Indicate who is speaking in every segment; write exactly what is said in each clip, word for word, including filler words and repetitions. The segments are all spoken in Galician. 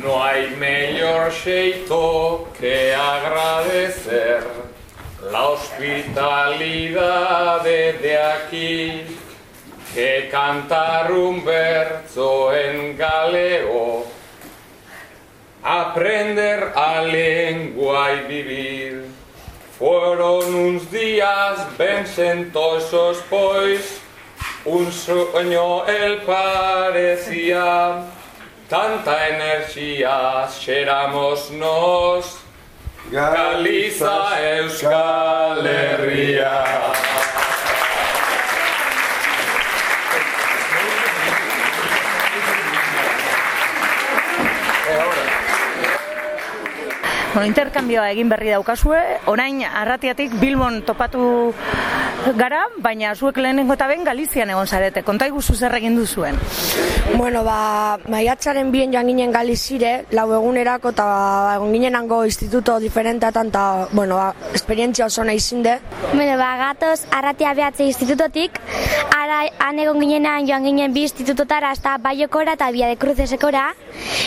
Speaker 1: No hay mejor xeito que agradecer la hospitalidade de aquí que cantar un verso en galego, aprender a lengua y vivir. Fueron uns días ben sentosos, pois un sueño el parecía. Tanta energía xeramos nos, Galiza, Euskal Herria.
Speaker 2: Bueno, interkambioa egin berri daukazue, orain Arratiatik Bilbon topatu gara, baina zuek lehenengo eta ben Galizian egon zarete. Konta iguzu zer egin duzuen?
Speaker 3: Bueno, ba, maiatzaren bien joan ginen Galizire, lau egunerako, eta egon ginenango instituto diferenteatan, eta, bueno, ba, esperientzia oso nahi zinde.
Speaker 4: Bueno, ba, gatoz Arratia behatze institutotik, ara han egon ginenan joan ginen bi institutotara, hasta Baiokora eta Via de Crucesekora,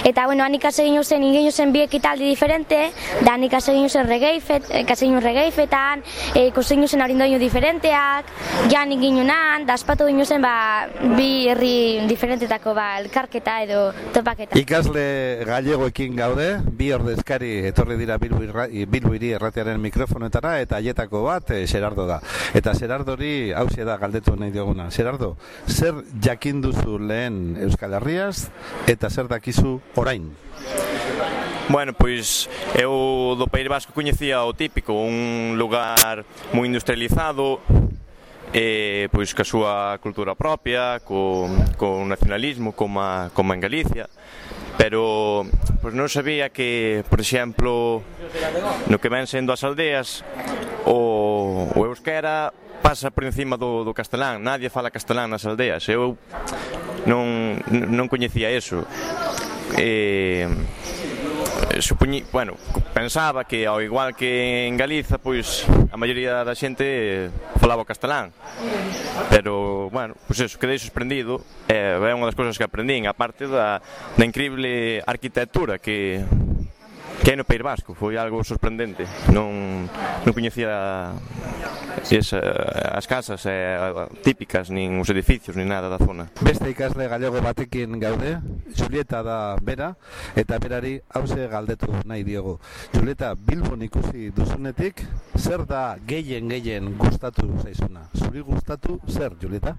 Speaker 4: eta, bueno, han ikase ginen zen, ingenu zen bi ekitaldi diferente, da han ikase ginen zen regeifetan, ikusi ginen zen arindoinu diferenteak, jan inginunan, da aspatu ginen zen, ba, bi herri diferentetako, ba, elkarketa edo topaketa.
Speaker 5: Ikasle gallegoekin gaude, bi ordezkari etorri dira Bilbo Hiri Erratiaren mikrofonetara, eta haietako bat Xerardo da. Eta Xerardori hauxe da galdetu nahi dioguna. Xerardo, zer jakin duzu lehen Euskal Herriaz eta zer dakizu orain?
Speaker 6: Bueno, pois eu do País Vasco coñecía o típico, un lugar moi industrializado, e pois ca súa cultura propia, co, co nacionalismo como, a, como en Galicia, pero pois non sabía que, por exemplo, no que ven sendo as aldeas, o, o euskera pasa por encima do, do castelán, nadie fala castelán nas aldeas, eu non, non coñecía eso. E supoñi, bueno, pensaba que ao igual que en Galiza, pois a maioría da xente falaba o castelán, pero, bueno, pois eso, quedei sorprendido, é eh, unha das cousas que aprendín, a parte da, da increíble arquitectura que que hai no País Vasco, foi algo sorprendente, non, non coñecía esa, as casas eh, típicas, nin os edificios, nin nada da zona.
Speaker 5: Beste ikasle gallego batekin gaude, Julieta da bera, eta berari hauze galdetu nahi diogu. Julieta, Bilbon ikusi duzunetik, zer da gehien gehien gustatu zaizuna? Zuri gustatu zer, Julieta?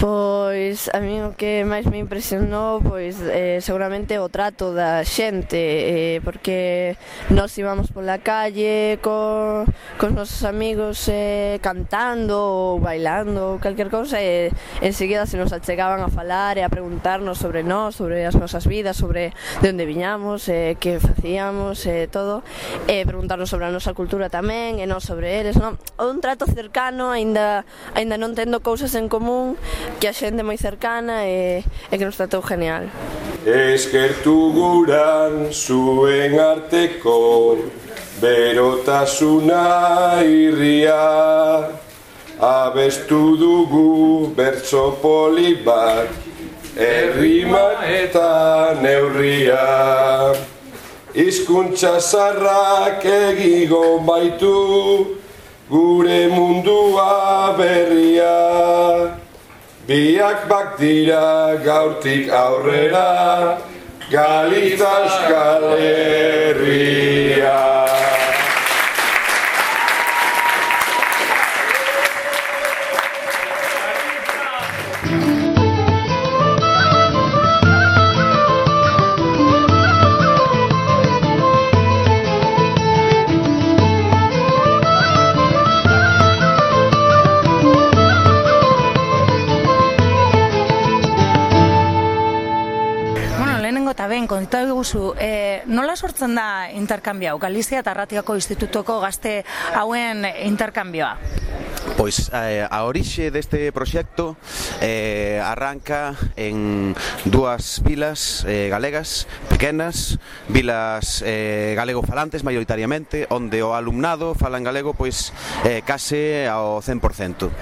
Speaker 7: Pois a mí o que máis me impresionou pois eh, seguramente o trato da xente, eh, porque nós íbamos pola calle co, cos nosos amigos eh, cantando ou bailando ou calquer cousa, e enseguida se nos achegaban a falar e a preguntarnos sobre nós, sobre as nosas vidas, sobre de onde viñamos, eh, que facíamos, e eh, todo, e preguntarnos sobre a nosa cultura tamén, e non sobre eles, non? Un trato cercano, aínda aínda non tendo cousas en común, que a xente moi cercana e, e que nos tratou genial.
Speaker 8: Eskertu guran zuen arteko berotasuna irria, abestu dugu bertso poli bat, errima eta neurria. Hizkuntza zarrak egigo baitu gure mundua berria. Biak bak dira gaurtik aurrera, Galiza Euskal Herria.
Speaker 2: Eta ben, konta eguzu, e, nola sortzen da interkambioa? Galizia eta Arratiako institutoko gazte hauen interkambioa?
Speaker 9: Pois eh, a orixe deste proxecto eh, arranca en dúas vilas eh, galegas pequenas, vilas eh, galego-falantes maioritariamente, onde o alumnado fala en galego pois eh, case ao cen por cento.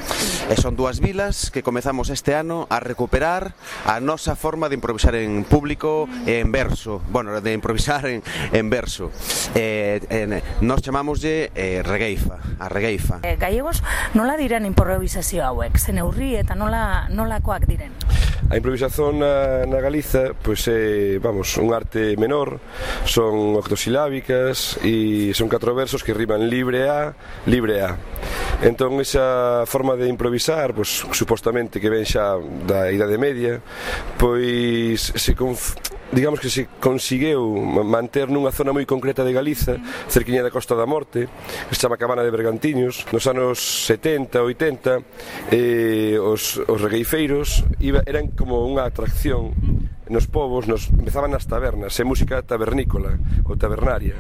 Speaker 9: E son dúas vilas que comezamos este ano a recuperar a nosa forma de improvisar en público e en verso, bueno, de improvisar en, en verso. Eh, eh, nos chamámoslle eh, regueifa, a regueifa.
Speaker 2: Eh, gallegos, nola diren improvisazio hauek? Ze neurri eta nola, nolakoak diren?
Speaker 8: A improvisación na, na Galiza pois é, vamos, un arte menor, son octosilábicas e son catro versos que riman libre a, libre a. Entón esa forma de improvisar, pois supostamente que ven xa da Idade Media, pois se conf... digamos que se conseguiu manter nunha zona moi concreta de Galiza, cerquiña da Costa da Morte, que se chama Cabana de Bergantiños. Nos anos setenta, oitenta, eh, os, os regueifeiros iba, eran como unha atracción nos povos, nos empezaban nas tabernas, é música tabernícola ou tabernaria.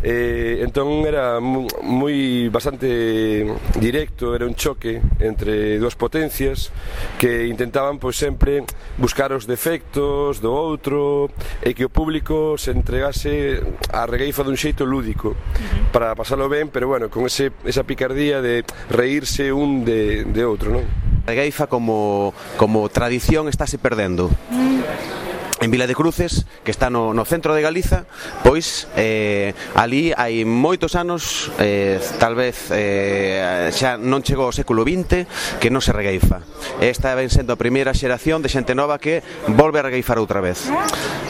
Speaker 8: Eh, entón era moi bastante directo, era un choque entre dúas potencias que intentaban pois sempre buscar os defectos do outro e que o público se entregase a regueifa dun xeito lúdico para pasalo ben, pero bueno, con ese, esa picardía de reírse un de, de outro, non?
Speaker 9: A regueifa como, como tradición estáse perdendo. En Vila de Cruces, que está no, no centro de Galiza, pois eh, ali hai moitos anos, eh, tal vez eh, xa non chegou ao século vinte, que non se regueifa. Esta ven sendo a primeira xeración de xente nova que volve a regueifar outra vez.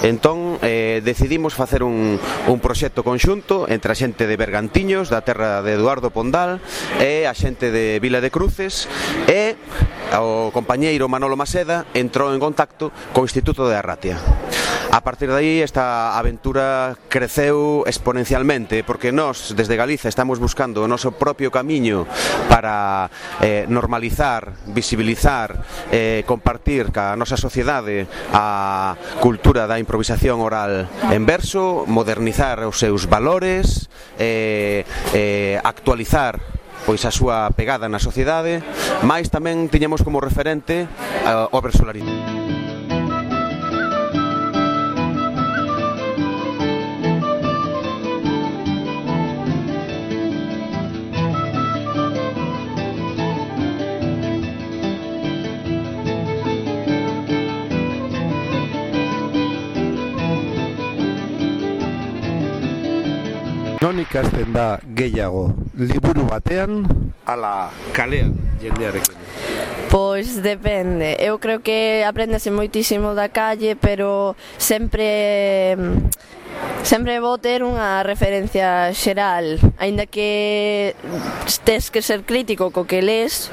Speaker 9: Entón, eh, decidimos facer un, un proxecto conxunto entre a xente de Bergantiños, da terra de Eduardo Pondal, e a xente de Vila de Cruces, e o compañeiro Manolo Maseda entrou en contacto co Instituto de Arratia. A partir de aí esta aventura creceu exponencialmente, porque nós desde Galiza estamos buscando o noso propio camiño para eh, normalizar, visibilizar, eh, compartir ca nosa sociedade a cultura da improvisación oral en verso, modernizar os seus valores, eh, eh, actualizar pois a súa pegada na sociedade, mais tamén tiñamos como referente uh, o versolarismo.
Speaker 5: Non ikasten da gehiago, liburu batean ala kalean jendearekin?
Speaker 7: Pois depende, eu creo que aprendese moitísimo da calle, pero sempre sempre vou ter unha referencia xeral, aínda que tes que ser crítico co que lees,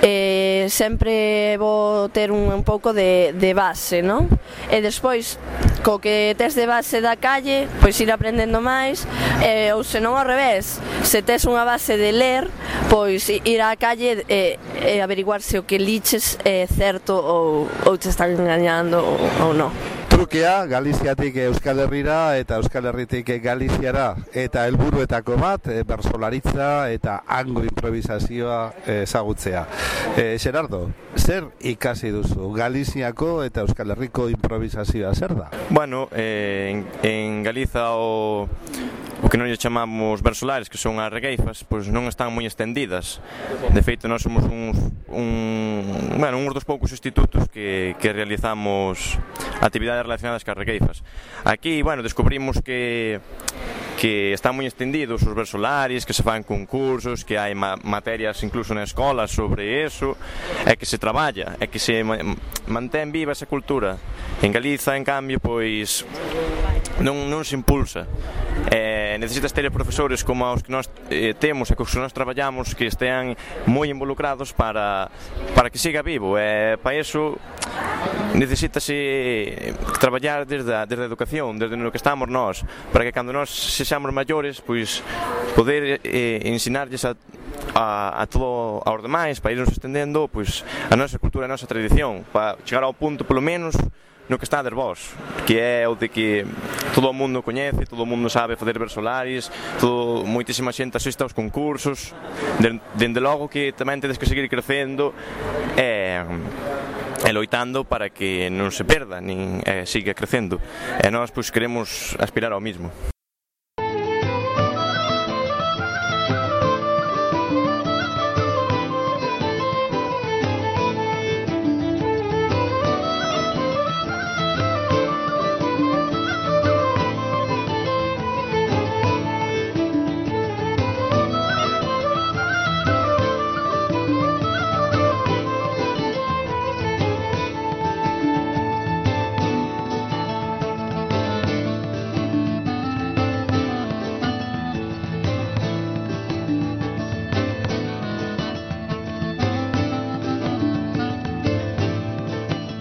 Speaker 7: eh, sempre vou ter un, un pouco de, de base, non? E despois, co que tes de base da calle, pois ir aprendendo máis, eh, ou senón ao revés, se tes unha base de ler, pois ir á calle e eh, eh, averiguar se o que liches é certo ou, ou te están engañando ou, ou non.
Speaker 5: Trukea, Galiziatik Euskal Herrira eta Euskal Herritik Galiziara, eta helburuetako bat, e, bersolaritza eta hango improvisazioa ezagutzea. E, Gerardo, zer ikasi duzu? Galiziako eta Euskal Herriko improvisazioa zer da?
Speaker 6: Bueno, eh, en, en Galiza o... o que non lle chamamos versolares, que son as regueifas, pois non están moi estendidas. De feito, nós somos uns, un, bueno, uns dos poucos institutos que, que realizamos actividades relacionadas cas regueifas. Aquí, bueno, descubrimos que que están moi estendidos os versolares, que se fan concursos, que hai ma materias incluso na escola sobre eso, é que se traballa, é que se ma mantén viva esa cultura. En Galiza, en cambio, pois non, non se impulsa. Eh, necesitas ter profesores como os que nós eh, temos e que os que nós traballamos que estean moi involucrados para, para que siga vivo. Eh, para iso necesitase traballar desde a, desde a educación, desde no que estamos nós, para que cando nós sexamos maiores, pois poder eh, ensinarlles a, a, a todo aos demais, para irnos estendendo pois a nosa cultura, a nosa tradición, para chegar ao punto polo menos no que estades vos, que é o de que todo o mundo coñece, todo o mundo sabe facer versolaris, todo, moitísima xente asiste aos concursos, dende logo que tamén tedes que seguir crecendo e, e loitando para que non se perda, nin e, siga crecendo, e nós pois queremos aspirar ao mismo.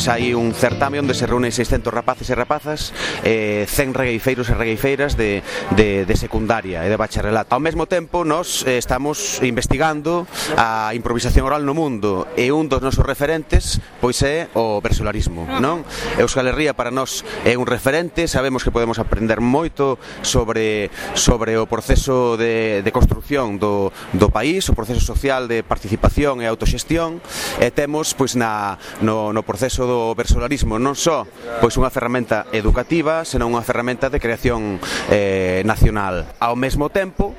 Speaker 9: Hai un certame onde se reúnen seiscentos rapaces e rapazas, eh, cen regueifeiros e regueifeiras de, de, de secundaria e de bacharelato. Ao mesmo tempo, nos eh, estamos investigando a improvisación oral no mundo e un dos nosos referentes pois é o versolarismo, non? Euskal Herria para nós é un referente, sabemos que podemos aprender moito sobre, sobre o proceso de, de construcción do, do país, o proceso social de participación e autoxestión, e temos pois na, no, no proceso do o versolarismo non só pois unha ferramenta educativa, senón unha ferramenta de creación eh, nacional. Ao mesmo tempo,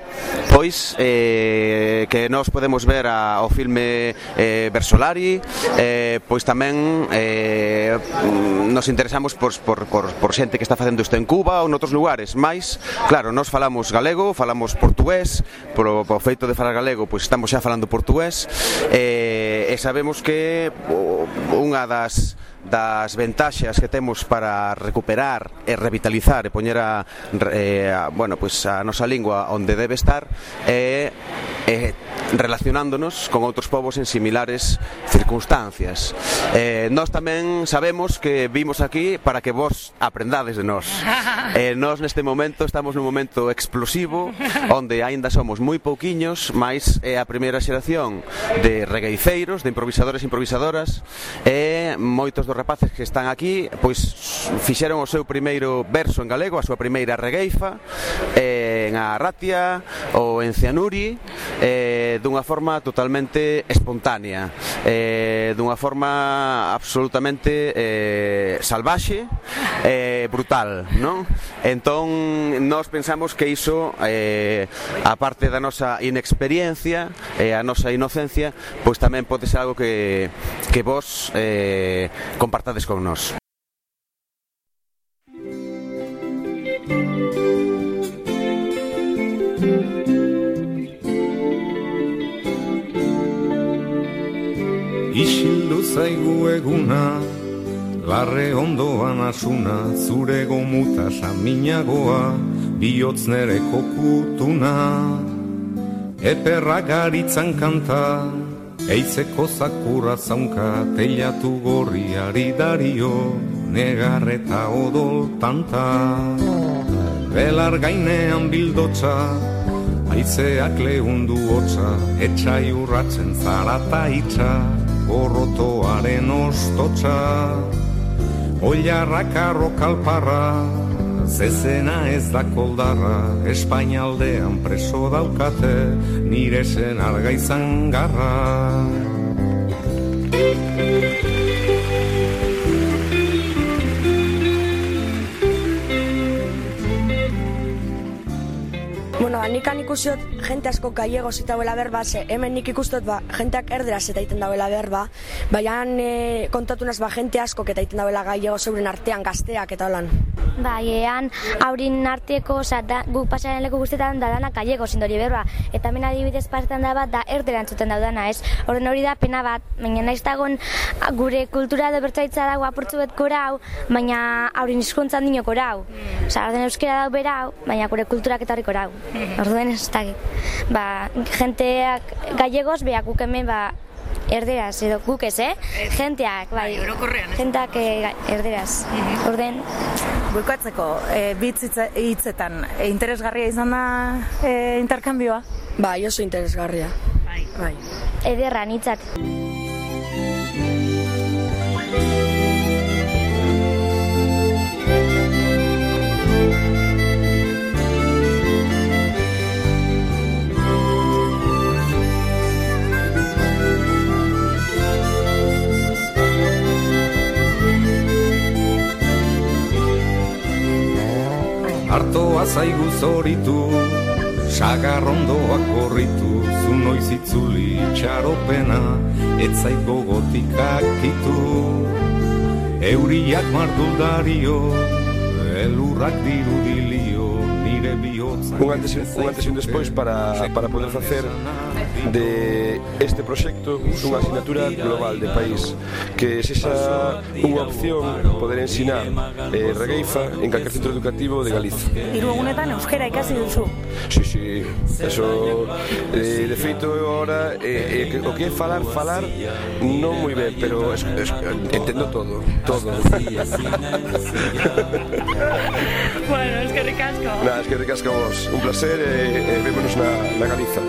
Speaker 9: pois eh, que nós podemos ver a, o filme eh, Versolari, eh, pois tamén eh, nos interesamos por, por, por, por xente que está facendo isto en Cuba ou noutros lugares, máis, claro, nós falamos galego, falamos portugués, por, por feito de falar galego, pois estamos xa falando portugués, eh, e sabemos que unha das das ventaxas que temos para recuperar e revitalizar e poñer a, eh, a, bueno, pues a nosa lingua onde debe estar é eh, relacionándonos con outros povos en similares circunstancias. Eh, nós tamén sabemos que vimos aquí para que vos aprendades de nós. Eh, nós neste momento estamos nun momento explosivo onde aínda somos moi pouquiños, mais é a primeira xeración de regueiceiros, de improvisadores e improvisadoras, e moitos dos rapaces que están aquí pois fixeron o seu primeiro verso en galego, a súa primeira regueifa eh, en Arratia ou en Cianuri, eh, dunha forma totalmente espontánea, eh, dunha forma absolutamente eh, salvaxe, eh, brutal, non? Entón nós pensamos que iso, eh, a parte da nosa inexperiencia e a nosa inocencia, pois tamén pode ser algo que, que vos eh, compartades con nós.
Speaker 10: Isildu zaigu eguna, larre ondoan asuna, zure gomuta saminagoa, bihotz nere kokutuna, eperra garitzan kanta, eitzeko zakura zaunka, teilatu gorriari dario, negarreta odol tanta. Belar gainean bildotza, aizeak lehundu hotza, etxai urratzen zarata itxa, gorrotoaren ostotza. Oilarrak arrokalparra, zezena ez da koldarra, Espainialdean preso daukate, nire zen argaizan garra.
Speaker 3: Bueno, nikan ikusiot jente asko gallegos eta dauela berba, ze hemen nik ikustot ba, jenteak erderaz eta egiten dauela berba, baina e, kontatunaz ba, jente asko eta egiten dauela gallegos euren artean gazteak eta holan.
Speaker 4: Bai, ean haurin arteko, oza, da, guk pasaren leku guztetan da danak gallegos indori berba, eta hemen adibidez pasetan da bat da erdera entzuten daudana, ez? Horren hori da pena bat, baina nahiz dagoen gure kultura edo bertzaitza dago apurtzu bet korau, baina haurin hizkuntzan dino korau. Oza, orden euskera dau berau, baina gure kulturak eta hori korau. Orduen ez da, ba, jenteak gallegos, beha guk hemen, ba, erderaz, edo guk ez, eh? Jenteak, bai, jenteak erderaz, orden.
Speaker 2: Buikatzeko, bitz hitzetan, interesgarria izan da interkambioa?
Speaker 3: Bai, oso interesgarria. Bai.
Speaker 4: Ederra, nitzat.
Speaker 10: Artoa zaigu zoritu, sagarrondoak korritu, zu noiz itzuli itxaropena, ez zait gogotik akitu. Euriak marduldario, elurrak dirudilio, nire bihotzak...
Speaker 8: Un antes, un antes e un despois para, para poder facer de este proxecto unha asignatura global de país, que sexa unha opción poder ensinar eh, regueifa en calquer centro educativo de Galicia.
Speaker 2: Hiru egunetan euskera ikasi duzu.
Speaker 8: Sí, sí, eso eh, de feito agora eh, eh, o que é falar, falar non moi ben, pero es, es, entendo todo, todo.
Speaker 2: Bueno, es que ricasco.
Speaker 8: Nada, es que ricasco vos. Un placer e eh, eh, vémonos na, na Galiza.